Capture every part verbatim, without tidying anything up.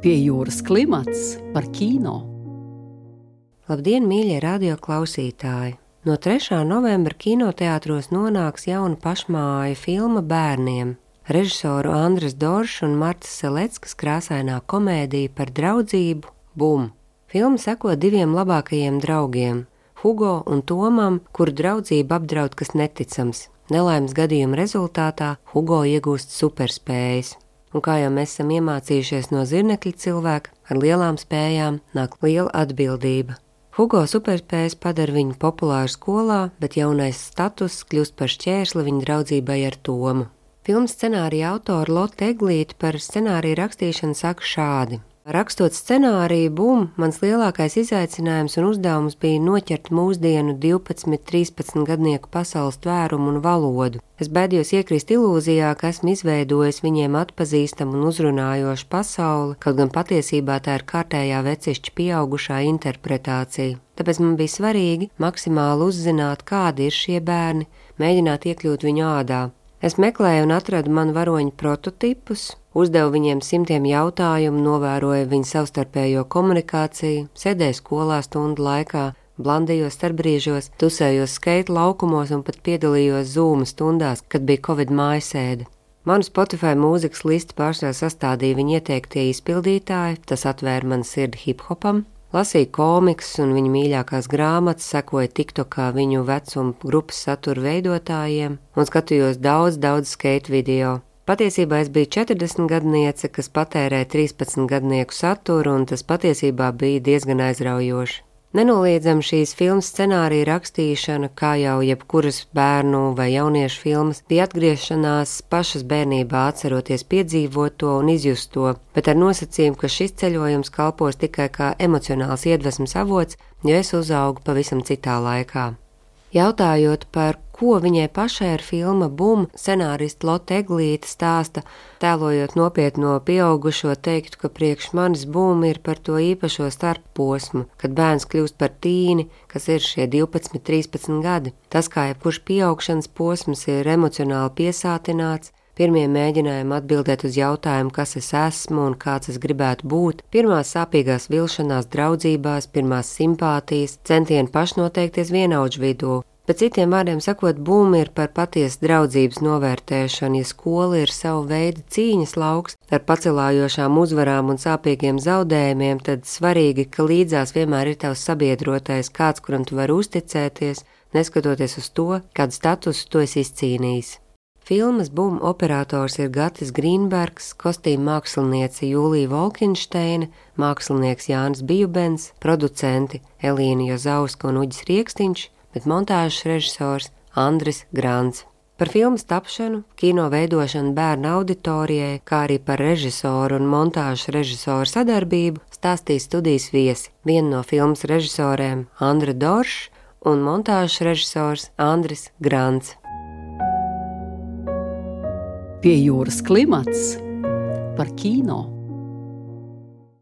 Pie jūras klimats par kino. Labdien, mīļie radio klausītāji! No trešā novembra kinoteātros nonāks jauna pašmāja filma bērniem. Režisoru Andres Doršs un Martas Seleckas krāsainā komēdija par draudzību Bum. Filma seko diviem labākajiem draugiem – Hugo un Tomam, kuru draudzību apdraud kas neticams. Nelaimes gadījuma rezultātā Hugo iegūst superspējas. Un kā jau mēs esam iemācījušies no zirnekļa cilvēka, ar lielām spējām nāk liela atbildība. Hugo superspējas padara viņu populāru skolā, bet jaunais status kļūst par šķērsli viņa draudzībai ar Tomu. Filmas scenārija autora Lotte Eglīte par scenāriju rakstīšanu saka šādi. Rakstot scenāriju Bum, mans lielākais izaicinājums un uzdevums bija noķert mūsdienu divpadsmit, trīspadsmit gadnieku pasaules tvērumu un valodu. Es baidījos iekrist ilūzijā, ka esmu izveidojis viņiem atpazīstamu un uzrunājošu pasauli, kaut gan patiesībā tā ir kārtējā vecišķa pieaugušā interpretācija. Tāpēc man bija svarīgi maksimāli uzzināt, kādi ir šie bērni, mēģināt iekļūt viņu ādā. Es meklēju un atradu manu varoņu prototipus, uzdevu viņiem simtiem jautājumu, novēroju viņu savstarpējo komunikāciju, sēdēju skolā stundu laikā, blandījos starpbrīžos, tusējos skeitu laukumos un pat piedalījos Zoom stundās, kad bija Covid mājasēde. Manu Spotify mūzikas listi pārsvarā sastādīja viņa ieteiktie izpildītāji, tas atvēra man sirdi hiphopam. Lasīju komiks un viņu mīļākās grāmatas, sekoju TikTokā viņu vecuma grupas satura veidotājiem un skatījos daudz, daudz skeitu video. Patiesībā es biju četrdesmit gadniece, kas patērēja trīspadsmit gadnieku saturu, un tas patiesībā bija diezgan aizraujoši. Nenoliedzami šīs filmas scenārija rakstīšana, kā jau jebkuras bērnu vai jauniešu filmas, bija atgriešanās pašas bērnībā atceroties piedzīvoto un izjusto, bet ar nosacījumu, ka šis ceļojums kalpos tikai kā emocionāls iedvesmas avots, jo es uzaugu pavisam citā laikā. Jautājot, par ko viņai pašai ir filma Bum, scenārista Lotte Eglīte stāsta, tēlojot nopietno pieaugušo, teiktu, ka priekš manis Bum ir par to īpašo starpposmu, kad bērns kļūst par tīni, kas ir šie divpadsmit, trīspadsmit gadi. Tas, kā jebkurš pieaugšanas posms, ir emocionāli piesātināts, pirmie mēģinājumi atbildēt uz jautājumu, kas es esmu un kāds es gribētu būt, pirmās sāpīgās vilšanās draudzībās, pirmās simpātijas, centieni pašnoteikties vienaudžu vidū. Bet citiem vārdiem sakot, Bum ir par patiesu draudzības novērtēšanu, ja skola ir savu veidu cīņas lauks ar pacelājošām uzvarām un sāpīgiem zaudējumiem, tad svarīgi, ka līdzās vienmēr ir tavs sabiedrotais, kāds, kuram tu vari uzticēties, neskatoties uz to, kādu statusu tu esi izcīnījis. Filmas Bum operators ir Gatis Grīnbergs, kostīma māksliniece Jūlija Volkinšteina, mākslinieks Jānis Bijubens, producenti Elīna Jozauska un Uģis Riekstiņš, bet montāžas režisors Andris Grants. Par filmas tapšanu, kino veidošanu bērnu auditorijai, kā arī par režisoru un montāžas režisoru sadarbību stāstīs studijas viesi. Viena no filmas režisoriem Andra Doršs un montāžas režisors Andris Grants. Pie jūras klimats par kino.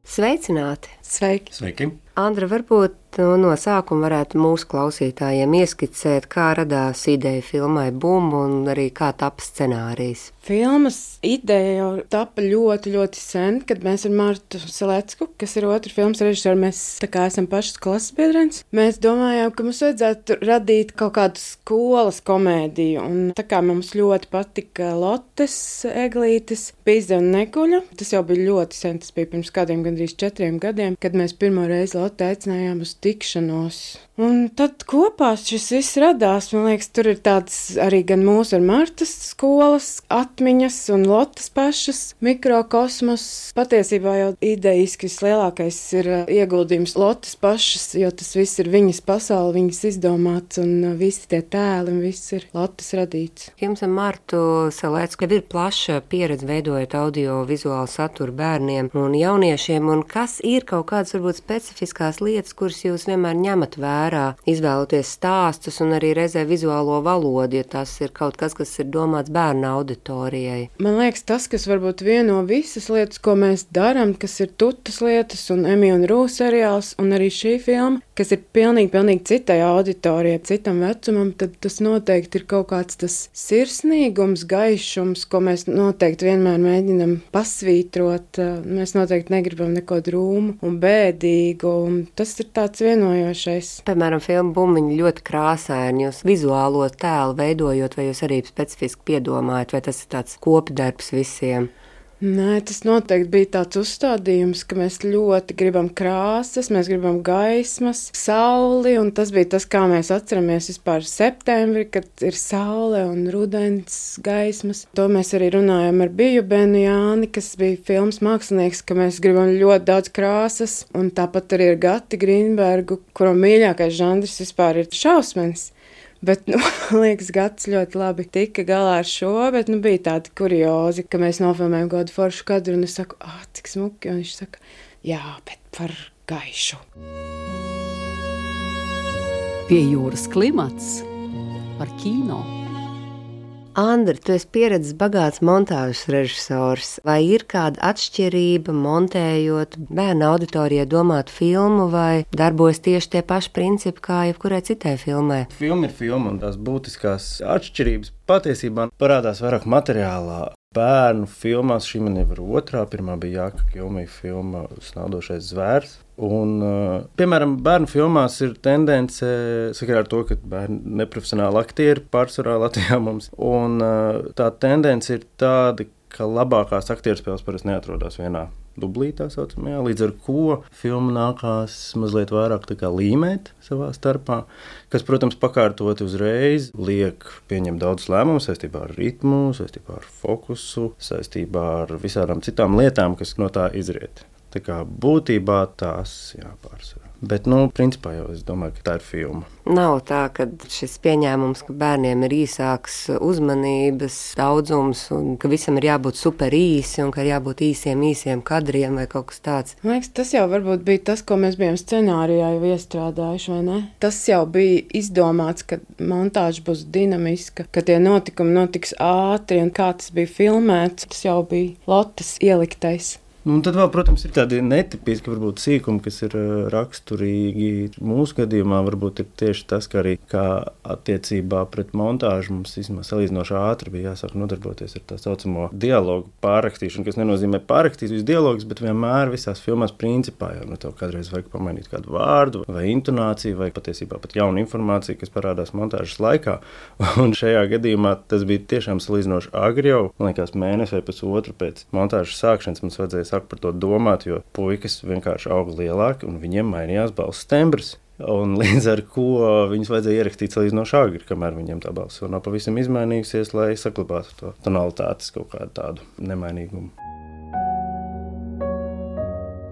Sveicināti! Sveiki! Sveiki! Andra, varbūt no sākuma varētu mūsu klausītājiem ieskicēt, kā radās ideja filmai Bum un arī kā tapa scenārijs. Filmas ideja jau tapa ļoti, ļoti sen, kad mēs ar Martu Selecku, kas ir otra filmas režisora, mēs tā kā esam pašas klases biedrenes. Mēs domājām, ka mums vajadzētu radīt kaut kādu skolas komēdiju, un tā kā mums ļoti patika Lottes Eglītes Pīze un Nekuļa, tas jau bija ļoti sen, tas bija pirms kādiem gandrīz četriem gadiem, kad mēs pirmo reizi Lotte aicinājām uz tikšanos. Un tad kopā šis viss radās, man liekas, tur ir tāds arī gan mūsu ar Martas skolas atmiņas un Lottes pašas mikrokosmos. Patiesībā jau idejiski vislielākais ir ieguldījums Lottes pašas, jo tas viss ir viņas pasaule, viņas izdomāts un visi tie tēli un viss ir Lottes radīts. Jums ar Martu Selecku jau ir plaša pieredze veidojot audio vizuālu saturu bērniem un jauniešiem, un kas ir kaut kādas varbūt specifiskas specifiskās lietas, kuras jūs vienmēr ņemat vērā, izvēloties stāstus un arī reizē vizuālo valodu, ja tas ir kaut kas, kas ir domāts bērnu auditorijai? Man liekas, tas, kas varbūt vieno visas lietas, ko mēs darām, kas ir Tutas lietas un Emija un Rū seriāls un arī šī filma, kas ir pilnīgi, pilnīgi citai auditorijai, citam vecumam, tad tas noteikti ir kaut kāds tas sirsnīgums, gaišums, ko mēs noteikti vienmēr mēģinam pasvītrot. Mēs noteikti negribam neko drūmu un bēdīgu, un tas ir tāds vienojošais. Piemēram, filma Bumbiņa ļoti krāsaini, jūs vizuālo tēlu veidojot, vai jūs arī specifiski piedomājat, vai tas ir tāds kopdarbs visiem? Nē, tas noteikti bija tāds uzstādījums, ka mēs ļoti gribam krāsas, mēs gribam gaismas, sauli, un tas bija tas, kā mēs atceramies vispār septembri, kad ir saule un rudens gaismas. To mēs arī runājam ar Biju Benu Jāni, kas bija filmas mākslinieks, ka mēs gribam ļoti daudz krāsas, un tāpat arī ar Gati Grīnbergu, kuram mīļākais žanrs vispār ir šausmas. Bet, nu, man liekas, Gads ļoti labi tika galā ar šo, bet, nu, bija tādi kuriozi, ka mēs nofilmējam kādu foršu kadru, un es saku, ah, cik smuki, un viņš saka, jā, bet par gaišu. Pie jūras klimats par kino. Andri, tu esi pieredzes bagāts montāžas režisors. Vai ir kāda atšķirība montējot bērnu auditorijai domātu filmu, vai darbojas tieši tie paši principi kā jebkurai citai filmai? Filma ir filma, un tās būtiskās atšķirības patiesībā parādās vairāk materiālā. Bērnu filmās šī man jau ir otrā. Pirmā bija Jāka Kilmija filma Snaudošais zvērs. Un, piemēram, bērnu filmās ir tendence sakarā ar to, ka bērni neprofesionāli aktieri pārsvarā Latvijā mums. Un tā tendence ir tāda, ka labākās aktierspēles parasti neatrodas vienā dublī, tā saucamajā, līdz ar ko filmu nākās mazliet vairāk tā kā līmēt savā starpā, kas, protams, pakārtoti uzreiz liek pieņemt daudz lēmumu saistībā ar ritmu, saistībā ar fokusu, saistībā ar visādām citām lietām, kas no tā izriet. Tā kā būtībā tās jāpārsvarā. Bet, nu, principā jau es domāju, ka tā ir filma. Nav tā, ka šis pieņēmums, ka bērniem ir īsāks uzmanības daudzums un ka visam ir jābūt super īsi un ka ir jābūt īsiem, īsiem kadriem vai kaut kas tāds. Man liekas, tas jau varbūt bija tas, ko mēs bijām scenārijā jau iestrādājuši, vai ne? Tas jau bija izdomāts, ka montāža būs dinamiska, ka tie notikumi notiks ātri un kā tas bija filmēts, tas jau bija Lotas ieliktais. Un tad vēl, protams, ir tādi netipiski varbūt sīkumi, kas ir raksturīgi. Mūsu gadījumā varbūt ir tieši tas, ka arī kā attiecībā pret montāžu mums īstenībā salīdzinoši ātri bija jāsāk nodarboties ar tā saucamo dialogu pārrakstīšanu, kas nenozīmē pārrakstīt visu dialogus, bet vienmēr visās filmās principā jau no tev kādreiz vajag pamainīt kādu vārdu vai intonāciju vai patiesībā pat jaunu informāciju, kas parādās montāžas laikā. Un šajā gadījumā tas bija tiešām salīdzinoši agri jau, man liekas, mēnesi vai pusotru pēc montāžas sākšanas mums vajadzēja sāk par to domāt, jo puikas vienkārši auga lielāki un viņiem mainījās balss tembrs. Un līdz ar ko viņus vajadzēja ierakstīt salīdzinoši agri, kamēr viņiem tā balss vēl nav pavisam izmainījusies, lai saglabātu to tonalitātes kaut kādu tādu nemainīgumu.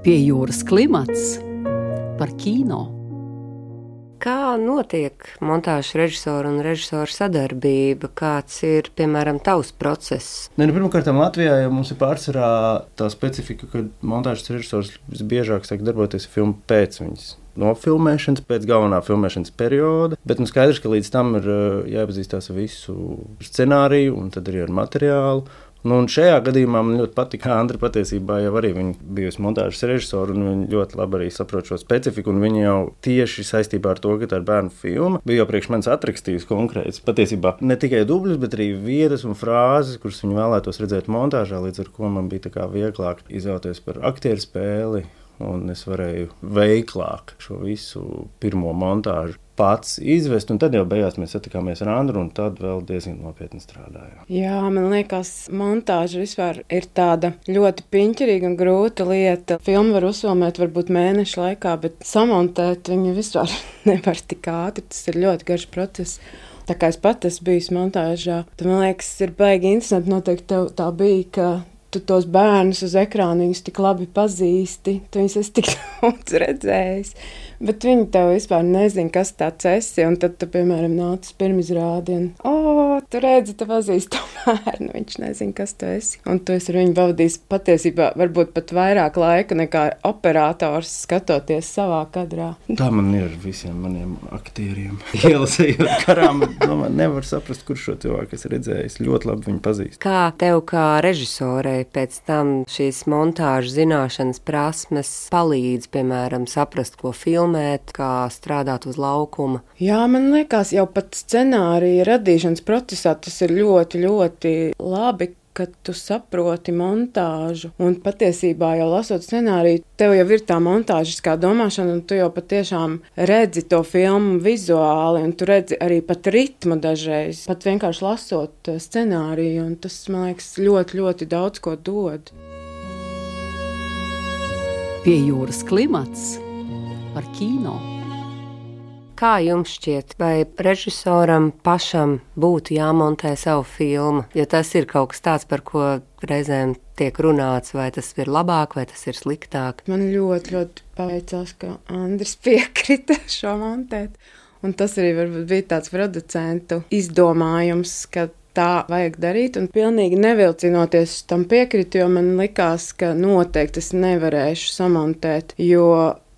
Pie jūras klimats par kino. Kā notiek montāžas režisora un režisora sadarbība? Kāds ir, piemēram, tavs process? Ne, nu, pirmkārt, Latvijā jau mums ir pārsvarā tā specifika, ka montāžas režisors visbiežāk sāk darboties filmu pēc viņas nofilmēšanas, pēc galvenā filmēšanas perioda, bet nu skaidrs, ka līdz tam ir jāiepazīstās ar visu scenāriju un tad arī ar materiālu. Nu, un šajā gadījumā man ļoti patīk, ka Andra patiesībā jau arī viņa bijusi montāžas režisora un viņa ļoti labi arī saprot šo specifiku, un viņa jau tieši saistībā ar to, ka tā ir bērnu filma, bija jau priekš manis atrakstījusi konkrēts patiesībā ne tikai dubļus, bet arī vietas un frāzes, kuras viņa vēlētos redzēt montāžā, līdz ar ko man bija tā kā vieglāk izvēlēties par aktieru spēli, un es varēju veiklāk šo visu pirmo montāžu pats izvest, un tad jau beigās mēs satikāmies ar Andru, un tad vēl diezgan nopietni strādājām. Jā, man liekas, montāža vispār ir tāda ļoti piņķerīga un grūta lieta. Filmu var uzfilmēt varbūt mēnešu laikā, bet samontēt viņu vispār nevar tik ātri. Tas ir ļoti garš process. Tā kā es pat esmu bijis montāžā, tad man liekas, ir baigi interesanti, noteikti tev tā bija, ka tu tos bērnus uz ekrāna viņus tik labi pazīsti, tu viņus esi tik daudz redzējis. Bet viņi tev vispār nezina, kas tāds esi, un tad tu, piemēram, nāc uz pirmizrādi, un, o, tu redzi, tu pazīsti to bērnu, viņš nezina, kas tu esi. Un tu esi ar viņu pavadījis patiesībā varbūt pat vairāk laika nekā operators skatoties savā kadrā. Tā man ir ar visiem maniem aktieriem. Ielasējot karām, domāju, nevar saprast, kurš šo cilvēku es redzējis. Ļoti labi viņu pazīst. Kā tev kā režisorei pēc tam šīs montāžu zināšanas prasmes palīdz, piemēram, saprast, ko filmēt, kā strādāt uz laukuma? Jā, man liekas, jau pat scenārija radīšanas procesā tas ir ļoti, ļoti labi, kad tu saproti montāžu. Un patiesībā jau lasot scenāriju, tev jau ir tā montāžiskā domāšana, un tu jau patiešām redzi to filmu vizuāli, un tu redzi arī pat ritmu dažreiz, pat vienkārši lasot scenāriju, un tas, man liekas, ļoti, ļoti daudz ko dod. Pie jūras klimats par kino. Kā jums šķiet, vai režisoram pašam būtu jāmontē savu filmu? Jo tas ir kaut kas tāds, par ko reizēm tiek runāts, vai tas ir labāk, vai tas ir sliktāk. Man ļoti, ļoti paveicās, ka Andris piekrita šo montēt. Un tas arī varbūt bija tāds producentu izdomājums, ka tā vajag darīt, un pilnīgi nevilcinoties tam piekritu, jo man likās, ka noteikti es nevarēšu samontēt, jo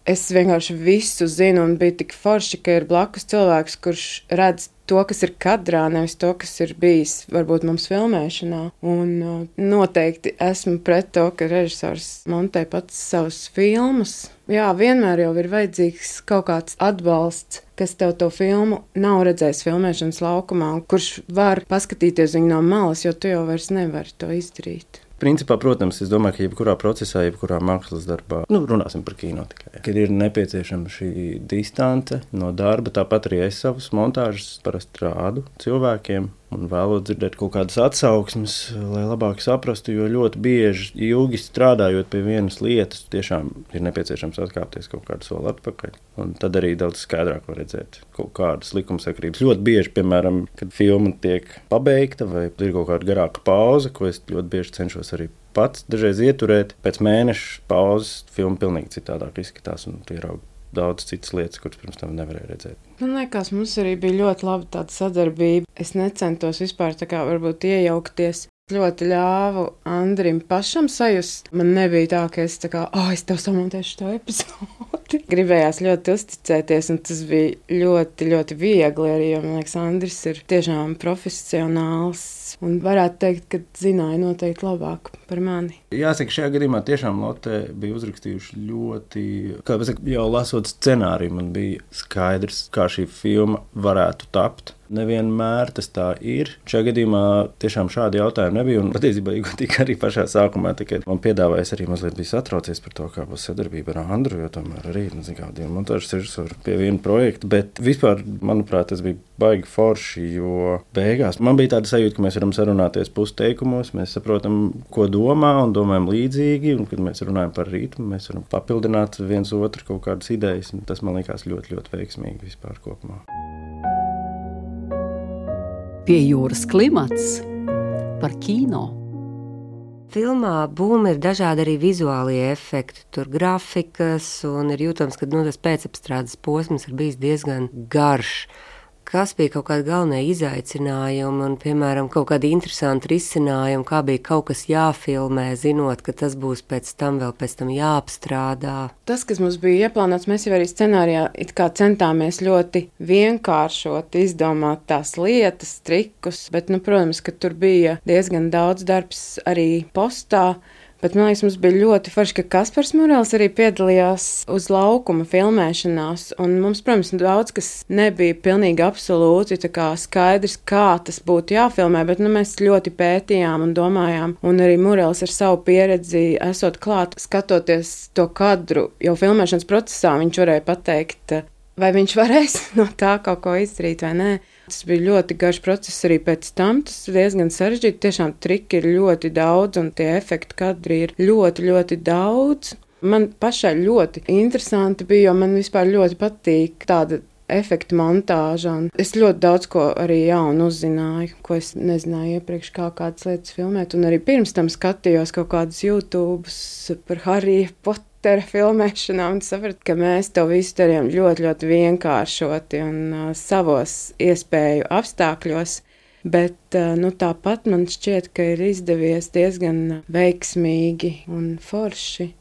es vienkārši visu zinu, un bija tik forši, ka ir blakus cilvēks, kurš redz to, kas ir kadrā, nevis to, kas ir bijis varbūt mums filmēšanā. Un uh, noteikti esmu pret to, ka režisors montē pats savus filmas. Jā, vienmēr jau ir vajadzīgs kaut kāds atbalsts, kas tev to filmu nav redzējis filmēšanas laukumā, un kurš var paskatīties viņu no malas, jo tu jau vairs nevari to izdarīt. Principā, protams, es domāju, ka jebkurā procesā, jebkurā mākslas darbā, nu, runāsim par kino tikai, kad ir nepieciešama šī distance no darba, tāpat arī es savus montāžas parasti rādu cilvēkiem un vēlos dzirdēt kaut kādas atsauksmes, lai labāk saprastu, jo ļoti bieži ilgi strādājot pie vienas lietas, tiešām ir nepieciešams atkāpties kaut kādu soli atpakaļ, un tad arī daudz skaidrāk var redzēt kaut kādas likumsakrības. Ļoti bieži, piemēram, kad filma tiek pabeigta vai ir kaut kāda garāka pauze, ko es ļoti bieži cenšos arī pats dažreiz ieturēt, pēc mēneša pauzes filma pilnīgi citādāk izskatās un ierauga daudz citas lietas, kuras pirms tam nevarēja redzēt. Man liekas, mums arī bija ļoti laba tāda sadarbība. Es necentos vispār tā kā varbūt iejaukties. Ļoti ļāvu Andrim pašam sajust. Man nebija tā, ka es tā kā, oh, es tev samontēšu to epizodi. Gribējās ļoti uzticēties, un tas bija ļoti, ļoti viegli arī, jo, man liekas, Andris ir tiešām profesionāls un varētu teikt, ka zināja noteikti labāk par mani. Jāsaka, šajā gadījumā tiešām Lotte bija uzrakstījuši ļoti, kā pasaka, jau lasot scenāriju, man bija skaidrs, kā šī filma varētu tapt. Nevienmēr tas tā ir. Šajā gadījumā tiešām šādi jautājumi nebija, un patiesībā tika arī pašā sākumā, tikai man piedāvājas arī mazliet bija satraucies par to, kā būs sadarbība ar Andru, jo tomēr arī, nezinu, kādiem montāžas režisori pie viena projekta, bet vispār, manuprāt, tas bija baigi forši, jo beigās man bija tāda sajūta, ka mēs varam sarunāties pusteikumos, mēs saprotam, ko domā un domājam līdzīgi, un kad mēs runājam par ritmu, mēs varam papildināt viens otru kaut kādas idejas, un tas man likās ļoti, ļoti veiksmīgi vispār kopumā. Pie jūras klimats par kino. Filmā Būma ir dažādi arī vizuālie efekti, tur grafikas, un ir jūtams, ka nu, tas pēcapstrādes posms ir bijis diezgan garš. Kas bija kaut kādi galvenie izaicinājumi un, piemēram, kaut kādi interesanti risinājumi, kā bija kaut kas jāfilmē, zinot, ka tas būs pēc tam vēl pēc tam jāapstrādā? Tas, kas mums bija ieplānots, mēs jau arī scenārijā it kā centāmies ļoti vienkāršot, izdomāt tās lietas, trikus, bet, nu, protams, ka tur bija diezgan daudz darbs arī postā. Bet, man liekas, mums bija ļoti forši, ka Kaspars Murels arī piedalījās uz laukuma filmēšanās, un mums, protams, daudz kas nebija pilnīgi absolūti tā kā skaidrs, kā tas būtu jāfilmē, bet, nu, mēs ļoti pētījām un domājām, un arī Murels ar savu pieredzi esot klāt, skatoties to kadru, jau filmēšanas procesā viņš varēja pateikt, vai viņš varēs no tā kaut ko izdarīt vai nē. Tas bija ļoti garš process arī pēc tam, tas diezgan sarežģīti, tiešām triki ir ļoti daudz un tie efekti kadri ir ļoti, ļoti daudz. Man pašai ļoti interesanti bija, jo man vispār ļoti patīk tāda efektu montāža, un es ļoti daudz ko arī jaunu uzzināju, ko es nezināju iepriekš, kā kādas lietas filmēt, un arī pirms tam skatījos kaut kādas YouTubes par Harry Potteru, karaktera filmēšanā un sapratu, ka mēs to visu darījām ļoti, ļoti vienkāršoti un uh, savos iespēju apstākļos. Bet, uh, nu, tāpat man šķiet, ka ir izdevies diezgan veiksmīgi un forši.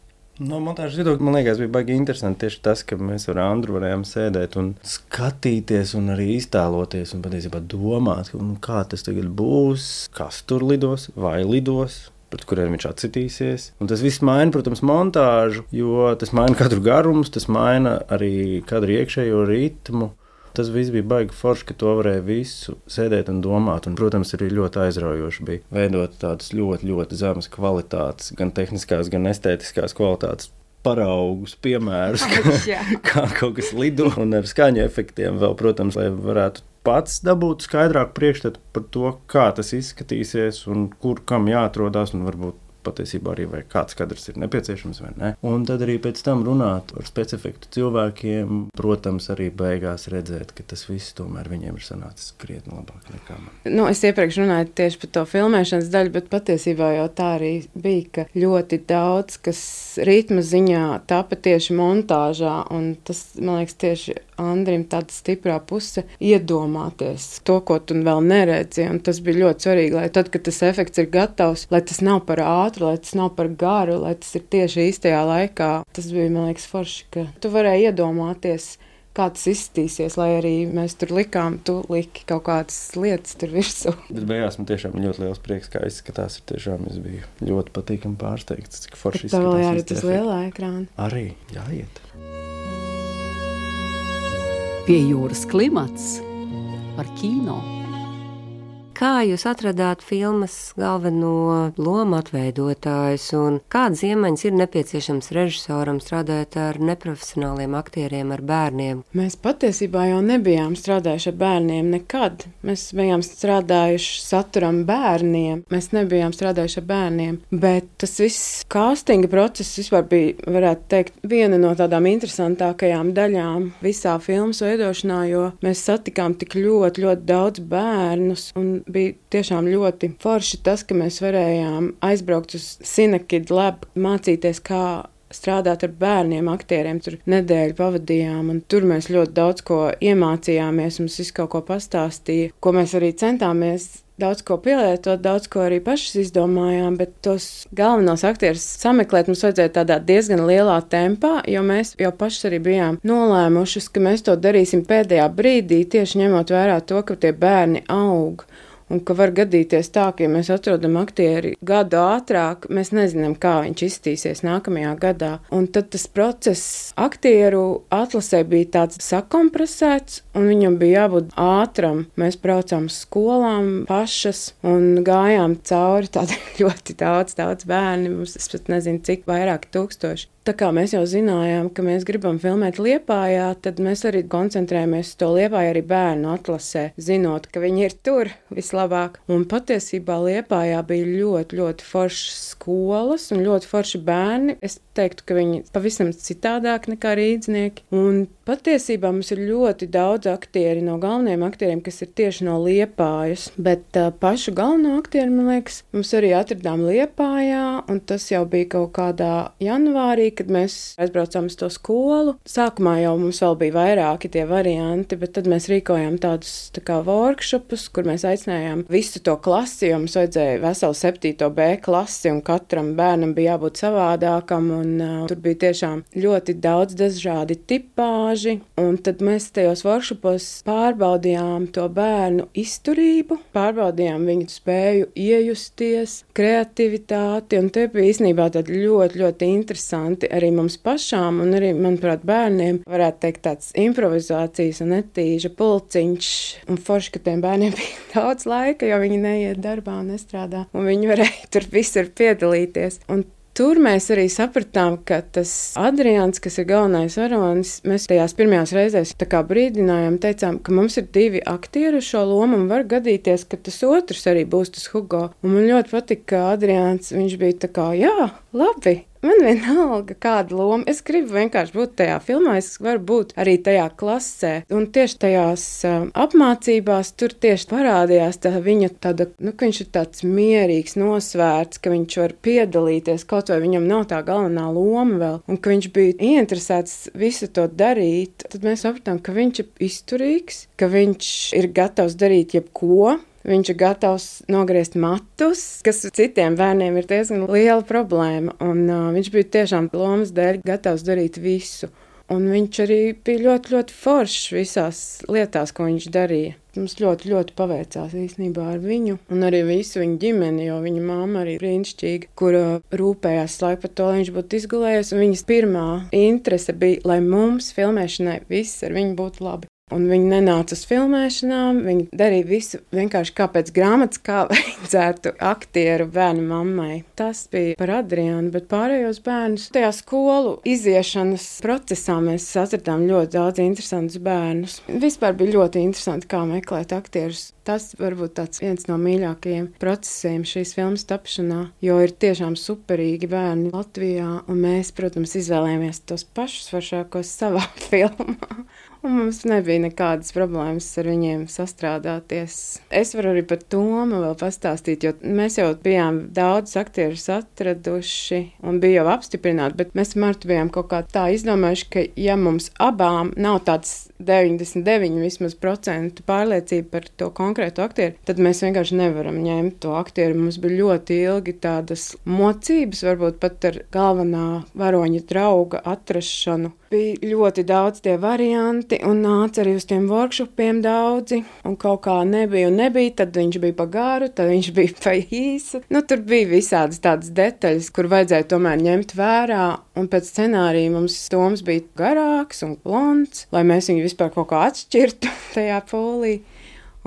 No montāžas viedokļa, man liekas, bija baigi interesanti tieši tas, ka mēs ar Andru varējām sēdēt un skatīties un arī iztēloties un patiesībā domāt, nu, kā tas tagad būs, kas tur lidos vai lidos, pret kuriem viņš atsitīsies. Un tas viss maina, protams, montāžu, jo tas maina kadru garumus, tas maina arī kadru iekšējo ritmu. Tas viss bija baigi forši, ka to varēja visu sēdēt un domāt. Un, protams, arī ļoti aizraujoši bija veidot tādas ļoti, ļoti zemes kvalitātes, gan tehniskās, gan estētiskās kvalitātes paraugus, piemērus, kā, kā kaut kas lido un ar skaņu efektiem vēl, protams, lai varētu pats dabūt skaidrāku priekšstatu par to, kā tas izskatīsies un kur kam jāatrodās un varbūt patiesībā arī vai kāds kadrs ir nepieciešams vai ne. Un tad arī pēc tam runāt ar specifektu cilvēkiem, protams, arī beigās redzēt, ka tas viss tomēr viņiem ir sanācis krietni labāk nekā man. Nu, es iepriekš runāju tieši par to filmēšanas daļu, bet patiesībā jau tā arī bija, ka ļoti daudz, kas ritma ziņā tapa tieši montāžā, un tas, man liekas, tieši Andrim tāda stiprā puse iedomāties to, ko tu vēl neredzi, un tas bija ļoti svarīgi, lai tad, kad tas efekts ir gatavs, lai tas nav par ātru, lai tas nav par garu, lai tas ir tieši īstajā laikā. Tas bija, man liekas, forši, ka tu varēji iedomāties, kā tas izskatīsies, lai arī mēs tur likām, tu liki kaut kādas lietas tur virsū. Bet beigās man tiešām ļoti liels prieks, kā izskatās. Ir tiešām es biju ļoti patīkami pārsteigts, cik forši izskatās. Tā vēl jārit uz lielā ekrāna. Arī jāiet. Pie jūras klimats par kino. Kā jūs atradāt filmas galveno lomu atveidotājus un kādas iemaņas ir nepieciešams režisoram strādājot ar neprofesionāliem aktieriem, ar bērniem? Mēs patiesībā jau nebijām strādājuši ar bērniem nekad. Mēs bijām strādājuši saturam bērniem, mēs nebijām strādājuši ar bērniem, bet tas viss castinga process vispār bija, varētu teikt, viena no tādām interesantākajām daļām visā filmas veidošanā, jo mēs satikām tik ļoti, ļoti daudz bērnus un bija tiešām ļoti forši tas, ka mēs varējām aizbraukt uz Cinekid Lab, mācīties, kā strādāt ar bērniem, aktieriem. Tur nedēļu pavadījām, un tur mēs ļoti daudz ko iemācījāmies, mums visu kaut ko pastāstīja, ko mēs arī centāmies daudz ko pielietot, daudz ko arī pašas izdomājām, bet tos galvenos aktierus sameklēt mums vajadzēja tādā diezgan lielā tempā, jo mēs jau pašas arī bijām nolēmušas, ka mēs to darīsim pēdējā brīdī, tieši ņemot vērā to, ka tie bērni aug. Un ka var gadīties tā, ka ja mēs atrodam aktieri gadu ātrāk, mēs nezinām, kā viņš izstīsies nākamajā gadā. Un tad tas process aktieru atlasē bija tāds sakompresēts, un viņam bija jābūt ātram. Mēs braucām uz skolām pašas un gājām cauri tādi ļoti daudz, daudz bērni. Mums, es pat nezinu, cik vairāk tūkstoši. Tā kā mēs jau zinājām, ka mēs gribam filmēt Liepājā, tad mēs arī koncentrējamies uz to Liepāju arī bērnu atlasē, zinot, ka viņi ir tur vislabāk. Un patiesībā Liepājā bija ļoti, ļoti foršas skolas un ļoti forši bērni. Es teiktu, ka viņi pavisam citādāk nekā rīdznieki. Un patiesībā mums ir ļoti daudz aktieri no galvenajiem aktieriem, kas ir tieši no Liepājas, bet uh, pašu galveno aktieri, man liekas, mums arī atradām Liepājā, un tas jau bija kaut kādā janvārī, kad mēs aizbraucām uz to skolu. Sākumā jau mums vēl bija vairāki tie varianti, bet tad mēs rīkojām tādus tā kā workshopus, kur mēs aicinājām visu to klasi, jo mums vajadzēja veselu septīto B klasi, un katram bērnam bija jābūt savādākam, un uh, tur bija tiešām ļoti daudz dažādi tipāži, un tad mēs tajos workshopos pārbaudījām to bērnu izturību, pārbaudījām viņu spēju iejusties, kreativitāti, un te bija īstenībā tādi ļoti, ļoti interesanti arī mums pašām un arī, manuprāt, bērniem, varētu teikt, tāds improvizācijas un netīža pulciņš. Un forši, ka tiem bērniem bija daudz laika, jo viņi neiet darbā un nestrādā, un viņi varēja tur visur piedalīties. Un tur mēs arī sapratām, ka tas Adrians, kas ir galvenais varonis, mēs tajās pirmajās reizēs tā kā brīdinājām, teicām, ka mums ir divi aktieri uz šo lomu un var gadīties, ka tas otrs arī būs tas Hugo. Un man ļoti patika, ka Adrians, viņš bija tā kā, jā, labi, man vienalga kāda loma. Es gribu vienkārši būt tajā filmā, es varu būt arī tajā klasē. Un tieši tajās uh, apmācībās tur tieši parādījās tā viņa tāda, nu, ka viņš ir tāds mierīgs, nosvērts, ka viņš var piedalīties, kaut vai viņam nav tā galvenā loma vēl, un ka viņš bija ieinteresēts visu to darīt. Tad mēs sapratām, ka viņš ir izturīgs, ka viņš ir gatavs darīt jebko. Viņš ir gatavs nogriezt matus, kas citiem bērniem ir diezgan liela problēma, un uh, viņš bija tiešām lomas dēļ gatavs darīt visu. Un viņš arī bija ļoti, ļoti foršs visās lietās, ko viņš darīja. Mums ļoti, ļoti paveicās īstenībā ar viņu, un arī visu viņa ģimeni, jo viņa mamma arī brīnišķīga, kura rūpējās laiku par to, lai viņš būtu izgulējies, un viņas pirmā interese bija, lai mums filmēšanai viss ar viņu būtu labi. Un viņi nenāca uz filmēšanām, viņi darīja visu vienkārši kā pēc grāmatas, kā vajadzētu aktieru bērnu mammai. Tas bija par Adriānu, bet pārējos bērnus tajā skolu iziešanas procesā mēs atradām ļoti daudz interesantus bērnus. Vispār bija ļoti interesanti, kā meklēt aktierus. Tas varbūt tāds viens no mīļākajiem procesiem šīs filmas tapšanā, jo ir tiešām superīgi bērni Latvijā, un mēs, protams, izvēlējāmies tos pašus foršākos savā filmā. Un mums nebija nekādas problēmas ar viņiem sastrādāties. Es varu arī par Tomu vēl pastāstīt, jo mēs jau bijām daudz aktierus atraduši un bija jau apstiprināti, bet mēs Martu bijām kaut kā tā izdomājuši, ka ja mums abām nav tāds deviņdesmit deviņi vismaz procentu pārliecība par to konkrētu aktieru, tad mēs vienkārši nevaram ņemt to aktieru. Mums bija ļoti ilgi tādas mocības, varbūt pat ar galvenā varoņa drauga atrašanu. Bija ļoti daudz tie varianti, un nāca arī uz tiem workshopiem daudzi, un kaut kā nebija un nebija, tad viņš bija pa garu, tad viņš bija pa īsu. Nu, tur bija visādas tādas detaļas, kur vajadzēja tomēr ņemt vērā, un pēc scenārija mums Toms bija garāks un blonds, lai mēs viņu vispār kaut kā atšķirtu tajā polī.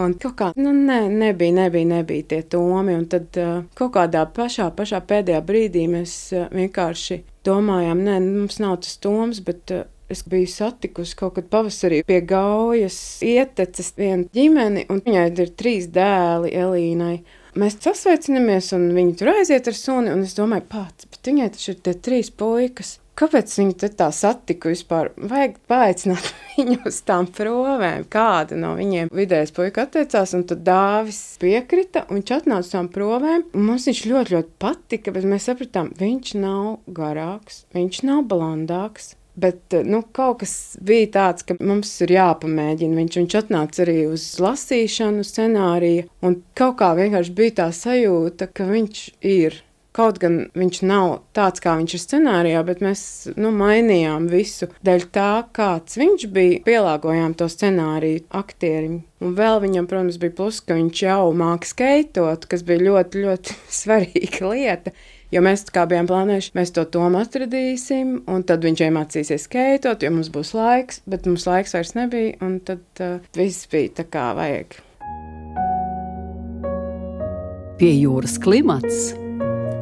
Un kaut kā, nu, ne, nebija, nebija, nebija tie Tomi, un tad uh, kaut kādā pašā, pašā pēdējā brīdī mēs uh, vienkārši domājām, nē, mums nav tas Toms, bet uh, es biju satikusi kaut kad pavasarī pie Gaujas ieteces vienu ģimeni, un viņai ir trīs dēli Elīnai. Mēs sasveicinamies, un viņi tur aiziet ar suni, un es domāju, pats, bet viņai taču ir tie trīs puikas. Kāpēc viņi te tā satika vispār? Vajag paaicināt viņu uz tām provēm. Kāda no viņiem vidējais puika atteicās, un tad Dāvis piekrita, un viņš atnāca uz tām provēm. Un mums viņš ļoti, ļoti patika, bet mēs sapratām, viņš nav garāks, viņš nav blondāks. Bet, nu, kaut kas bija tāds, ka mums ir jāpamēģina. Viņš, viņš atnāca arī uz lasīšanu scenāriju, un kaut kā vienkārši bija tā sajūta, ka viņš ir. Kaut gan viņš nav tāds, kā viņš ir scenārijā, bet mēs, nu, mainījām visu. Dēļ tā, kāds viņš bija, pielāgojām to scenāriju aktierim. Un vēl viņam, protams, bija plus, ka viņš jau māca skeitot, kas bija ļoti, ļoti svarīga lieta. Jo mēs kā bijām plānojuši, mēs to Tomu atradīsim, un tad viņš iemācīsies skeitot, jo mums būs laiks, bet mums laiks vairs nebija, un tad uh, viss bija tā kā vajag. Pie jūras klimats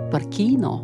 par kino.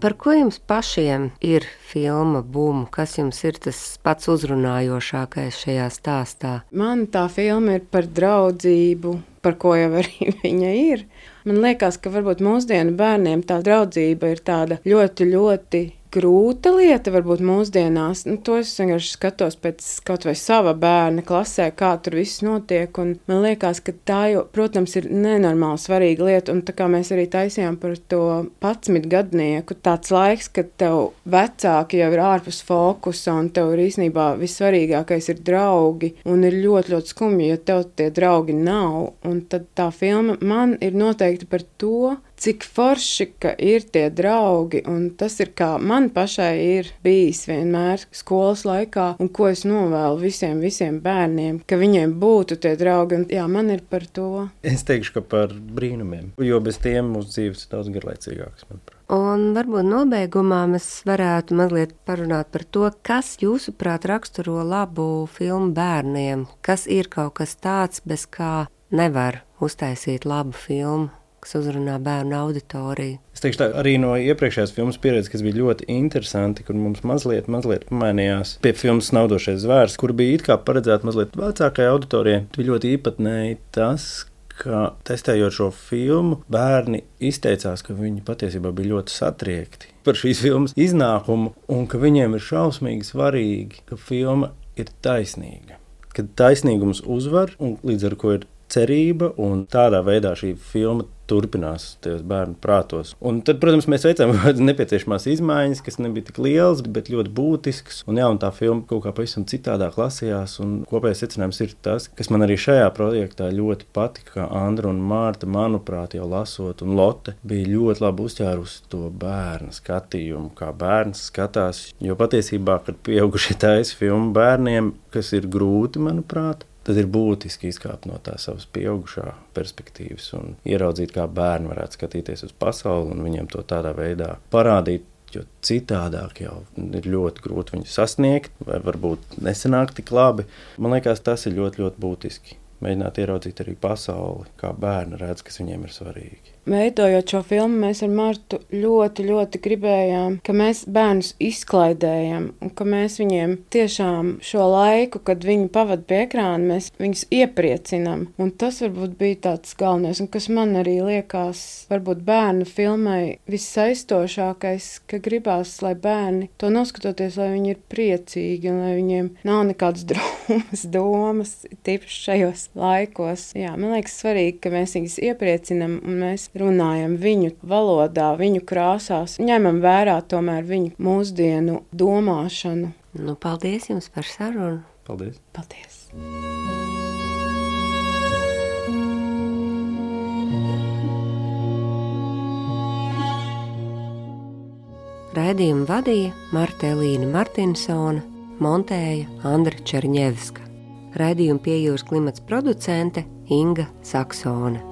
Par ko jums pašiem ir filma Bum? Kas jums ir tas pats uzrunājošākais šajā stāstā? Man tā filma ir par draudzību, par ko jau arī viņa ir. Man liekas, ka varbūt mūsdienu bērniem tā draudzība ir tāda ļoti, ļoti grūta lieta, varbūt mūsdienās. Nu, to es vienkārši skatos pēc kaut vai sava bērna klasē, kā tur viss notiek, un man liekas, ka tā jau, protams, ir nenormāli svarīga lieta, un tā kā mēs arī taisījām par to padsmitgadnieku, tāds laiks, kad tev vecāki jau ir ārpus fokusa, un tev ir īstenībā vissvarīgākais ir draugi, un ir ļoti, ļoti skumji, ja tev tie draugi nav, un tad tā filma man ir noteikti par to, cik forši, ka ir tie draugi, un tas ir kā man pašai ir bijis vienmēr skolas laikā, un ko es novēlu visiem, visiem bērniem, ka viņiem būtu tie draugi, un jā, man ir par to. Es teikšu, ka par brīnumiem, jo bez tiem mūsu dzīves ir daudz garlaicīgāks, manuprāt. Un varbūt nobeigumā mēs varētu mazliet parunāt par to, kas jūsuprāt raksturo labu filmu bērniem, kas ir kaut kas tāds, bez kā nevar uztaisīt labu filmu, kas uzrunā bērnu auditoriju. Es teikšu tā, arī no iepriekšējās filmas pieredzes, kas bija ļoti interesanti, kur mums mazliet, mazliet pamainījās pie filmas Snaudošais zvērs, kur bija it kā paredzēta mazliet vecākai auditorijai. Bija ļoti īpatnēji tas, ka testējot šo filmu, bērni izteicās, ka viņi patiesībā bija ļoti satriekti par šīs filmas iznākumu un ka viņiem ir šausmīgi svarīgi, ka filma ir taisnīga. Kad taisnīgums uzvar un līdz ar ko ir cerība un tādā veidā šī filma turpinās tajos bērnu prātos. Un tad, protams, mēs veicām nepieciešamās izmaiņas, kas nebija tik lielas, bet ļoti būtiskas. Un jā, un tā filma kaut kā pavisam citādāk lasījās, un kopējais secinājums ir tas, kas man arī šajā projektā ļoti patika, ka Andra un Mārta, manuprāt, jau lasot, un Lotte bija ļoti labi uzķērusi to bērnu skatījumu, kā bērns skatās, jo patiesībā, kad pieaugušie taisa filmu bērniem, kas ir grūti, manuprāt, tad ir būtiski izkāpt no tā savas pieaugušā perspektīvas un ieraudzīt, kā bērni varētu skatīties uz pasauli un viņiem to tādā veidā parādīt, jo citādāk jau ir ļoti grūti viņu sasniegt vai varbūt nesanāk tik labi. Man liekas, tas ir ļoti, ļoti būtiski. Mēģināt ieraudzīt arī pasauli, kā bērni redz, kas viņiem ir svarīgi. Veidojot šo filmu, mēs ar Martu ļoti, ļoti gribējām, ka mēs bērnus izklaidējam un ka mēs viņiem tiešām šo laiku, kad viņi pavada pie ekrāna, mēs viņus iepriecinam. Un tas varbūt bija tāds galvenais, un kas man arī liekas, varbūt bērnu filmai vissaistošākais, ka gribās, lai bērni to noskatoties, lai viņi ir priecīgi un lai viņiem nav nekādas drūmas domas, tīpaši šajos laikos. Jā, man liekas svarīgi, ka mēs viņus iepriecinam un mēs runājam viņu valodā, viņu krāsās, ņemam vērā tomēr viņu mūsdienu domāšanu. Nu, paldies jums par sarunu. Paldies. Paldies. Raidījumu vadīja Marta Elīna Martinsone, montēja Andra Čerņevska. Raidījumu Pie jūras klimats producente Inga Saksone.